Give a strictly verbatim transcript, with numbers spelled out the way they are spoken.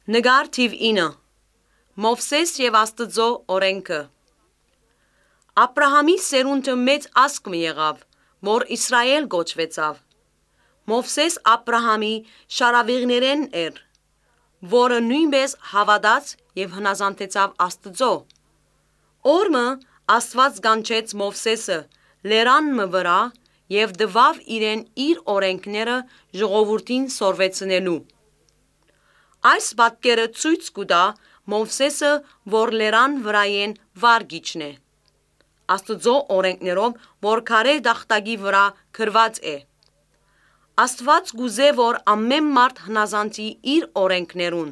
Նկար թիվ ինը Մովսես և Աստծո օրենքը Աբրահամի սերունդը մեծ ազգ մի եղավ, որ Իսրայել կոչվեցավ։ Մովսես Աբրահամի շարավիղներեն էր, որը նույնպես հավատաց և հնազանդեցավ Աստծո։ Օրը Աստված կանչեց Մովսեսը լերանն վրա և տվավ իրեն իր օրենքները ժողովրդին սորվեցնելու։ Այս պատկերը ցույց կտա Մովսեսը, որ լերան վրայեն վարգիչն է, Աստծո օրենքներով, որ քարե տախտակի վրա գրված է։ Աստված կուզե, որ ամեն մարդ հնազանդի իր օրենքներուն։